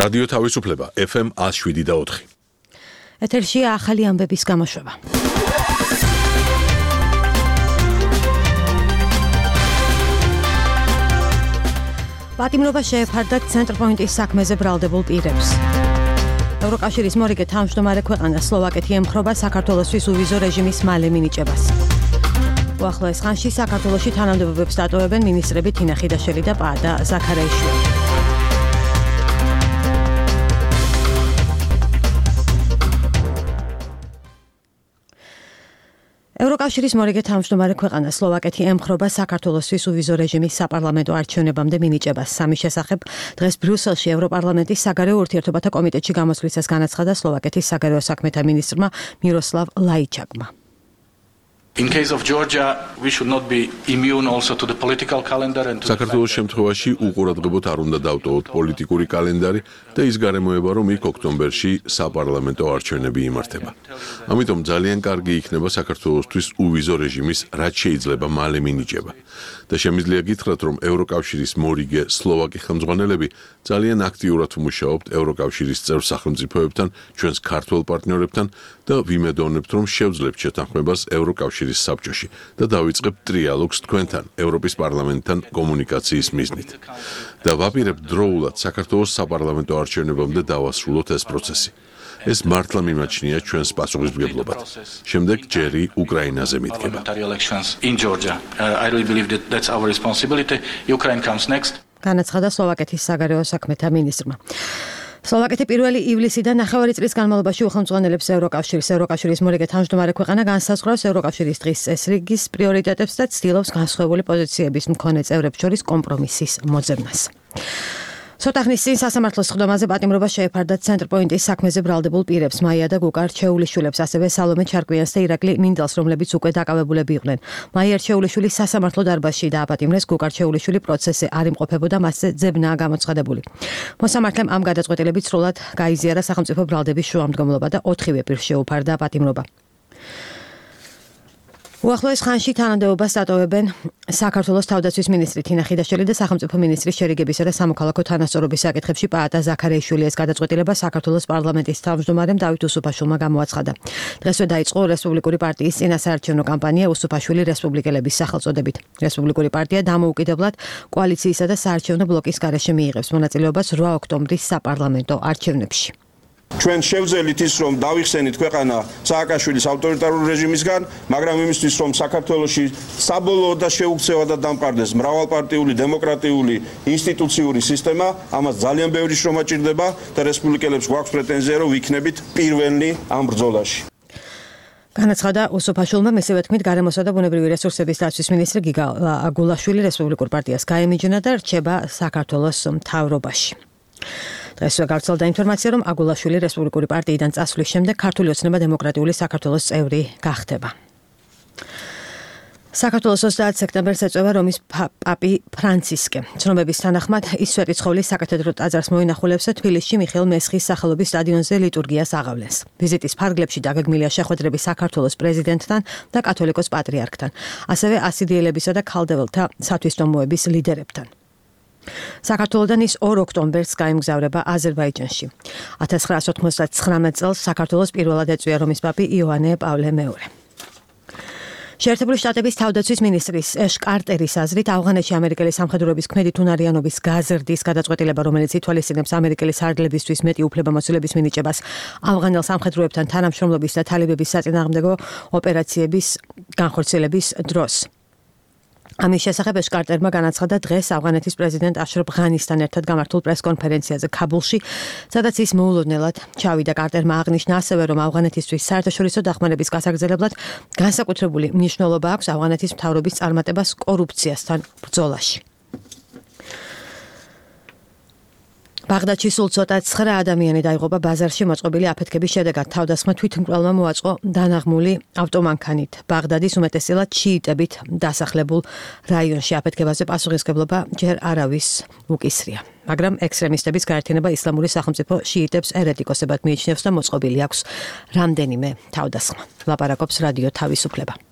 რადიო თავისუფლება FM 107.4. ეთერშია ახალი ამბების გამოშვება. პატიმრობა შეეფარდა ცენტრპოინტის საქმეზე ბრალდებულ პირებს. ევროკავშირის მორიგე თავმჯდომარე ქვეყანა სლოვაკეთი ემხრობა საქართველოსთვის უვიზო რეჟიმის მალე მინიჭებას. უახლოეს ხანში საქართველოში თანამდებობებს დატოვებენ მინისტრები თინა ხიდაშელი და პაადა ზაქარაიშვილი. ევროკავშირის მორიგე თავმჯდომარე ქვეყანა სლოვაკეთი ემხრობა საქართველოსთვის უვიზო რეჟიმის საპარლამენტო არჩევნებამდე მინიჭებას. სამის შესახებ დღეს ბრიუსელში ევროპარლამენტის საგარეო ურთიერთობათა კომიტეტში გამოსვლისას განაცხადა სლოვაკეთის საგარეო საქმეთა მინისტრმა მიროსლავ ლაიჩაკმა. In case of Georgia, we should not be immune also to the political calendar and to საქართველოს შემთხვევაში უყურადღებოდ არ უნდა დავტოვოთ პოლიტიკური კალენდარი და ის გარემოება, რომ იქ ოქტომბერში საპარლამენტო არჩევნები იმართება. ამიტომ ძალიან კარგი იქნება საქართველოსთვის უვიზო რეჟიმის რაც შეიძლება მალე მინიჭება. და შემიძლია გითხრათ, რომ ევროკავშირის მორიგე სლოვაკი ხელმძღვანელები ძალიან აქტიურად მუშაობთ ევროკავშირის წევრ სახელმწიფოებთან, ჩვენს ქართველ პარტნიორებთან და ვიმედოვნებთ, რომ შევძლებთ შეთანხმებას ევროკავშირის საბჭოში და დავიწყებთ ტრიალოგს თქვენთან, ევროპის პარლამენტთან კომუნიკაციის მიზნით. და ვაპირებთ დროულად საქართველოს საპარლამენტო არჩევნებამდე დავასრულოთ ეს პროცესი. ეს მართლა მიმაჩნია ჩვენს პასუხისმგებლობად. შემდეგ ჯერი უკრაინაზე მიდგება. განაცხადა სლოვაკეთის საგარეო საქმეთა მინისტრმა. სლოვაკეთი 1 ივლისიდან 9 წლის განმავლობაში უხელმძღვანელებს ევროკავშირის მორიგე თავმჯდომარე ქვეყანა განსაზღვრავს ევროკავშირის დღის წესრიგის პრიორიტეტებს და ცდილობს განსხვავებული პოზიციების მქონე წევრებს შორის კომპრომისის მოძებნას. ცოტა ხნის წინ სასამართლოს სხდომაზე პატიმრობა შეეფარდა ცენტრპოინტის საქმეზე ბრალდებულ პირებს მაია და გუკა რჩეულიშვილებს, ასევე სალომე ჩარკვიანს და ირაკლი მინდალს, რომლებიც უკვე დაკავებულები იყვნენ. მაია რჩეულიშვილი სასამართლო დარბაზში დააპატიმრეს, გუკა რჩეულიშვილი პროცესზე არ იმყოფებოდა, მასზე ძებნაა გამოცხადებული. მოსამართლემ ამ გადაწყვეტილებით სრულად გაიზიარა სახელმწიფო ბრალდების შუამდგომლობა და 4-ვე პირს შეუფარდა პატიმრობა. უახლოეს ხანში თანამდებობას დატოვებენ საქართველოს თავდაცვის მინისტრი თინა ხიდაშელი და სახელმწიფო მინისტრის შერიგებისა და სამოქალაქო თანასწორობის საკითხებში პაატა ზაქარაიშვილი. ეს გადაწყვეტილება საქართველოს პარლამენტის თავმჯდომარემ დავით უსუფაშვილმა გამოაცხადა. დღესვე დაიწყო რესპუბლიკური პარტიის წინასაარჩევნო კამპანია უსუფაშვილი რესპუბლიკელების სახელწოდებით. რესპუბლიკური პარტია დამოუკიდებლად კოალიციისა და საარჩევნო ბლოკის გარეშე მიიღებს მონაწილეობას 8 ოქტომბრის საპარლამენტო არჩევნებში. ჩვენ შევძელით ის, რომ დავიხსენით ქვეყანა სააკაშვილის ავტორიტარული რეჟიმისგან, მაგრამ იმისთვის, რომ საქართველოში საბოლოოდ და შეუქცევადად დამყარდეს მრავალპარტიული დემოკრატიული ინსტიტუციური სისტემა, ამას ძალიან ბევრი შრომა ჭირდება და რესპუბლიკელებს გვაქვს პრეტენზია, რომ ვიქნებით პირველი ამ ბრძოლაში. განაცხადა უსუფაშვილმა, მისივე თქმით, გარემოსა და ბუნებრივი რესურსების დაცვის მინისტრი გიგა აგულაშვილი რესპუბლიკურ პარტიას გაემიჯნა და რჩება საქართველოს მთავრობაში. დღესვე გავრცელდა ინფორმაცია, რომ აგულაშვილი რესპუბლიკური პარტიიდან წასვლის შემდეგ ქართული ოცნება დემოკრატიული საქართველოს წევრი გახდება. საქართველოს 30 სექტემბერს ეწევა რომის პაპი ფრანცისკე. ცნობების თანახმად ის სვეტიცხოვლის საკათედრო ტაძარს მოინახულებს და თბილისში მიხეილ მესხის სახელობის სტადიონზე ლიტურგიას აღავლენს. ვიზიტის ფარგლებში დაგეგმილია შეხვედრები საქართველოს პრეზიდენტთან და კათოლიკოს პატრიარქთან, ასევე ასიდიელებისა და ქალდეველთა სათვისტომოების ლიდერებთან. საქართველოდან ის 2 ოქტომბერს გაემგზავრება აზერბაიჯანში. 1999 წელს საქართველოს პირველად ეწვია რომის პაპი იოანე პავლე მეორე. შეერთებული შტატების თავდაცვის მინისტრის ეშ კარტერის აზრით, ავღანეთში ამერიკელი სამხედროების ქმედით უნარიანობის გაზრდის გადაწყვეტილება, რომელიც ითვალისწინებს ამერიკელი სარდლებისთვის მეტი უფლებამოსილების მინიჭებას ავღანელ სამხედროებთან თანამშრომლობის და თალიბების საწინააღმდეგო ოპერაციების განხორციელების დროს. ამის შესახებ ეშ კარტერმა განაცხადა დღეს ავღანეთის პრეზიდენტ აშრაფ ღანისთან ერთად გამართულ პრესკონფერენციაზე ქაბულში, სადაც ის მოულოდნელად ჩავიდა. კარტერმა აღნიშნა ასევე, რომ ავღანეთისთვის საერთაშორისო დახმარების გასაგრძელებლად განსაკუთრებული მნიშვნელობა აქვს ავღანეთის მთავრობის წარმატებას კორუფციასთან ბრძოლაში. ბაღდადში სულ ცოტა 9 ადამიანი დაიღუპა ბაზარში მოწყობილი აფეთქების შედეგად. თავდასხმა თვითმკვლელმა მოაწყო დანაღმული ავტომანქანით. ბაღდადის უმეტესწილად შიიტებით დასახლებულ რაიონში აფეთქებაზე პასუხისმგებლობა ჯერ არავის უკისრია. მაგრამ ექსტრემისტების გაერთიანება ისლამური სახელმწიფო შიიტებს ერეტიკოსებად მიიჩნევს და მოწყობილი აქვს რამდენიმე თავდასხმა. ლაპარაკობს რადიო თავისუფლება.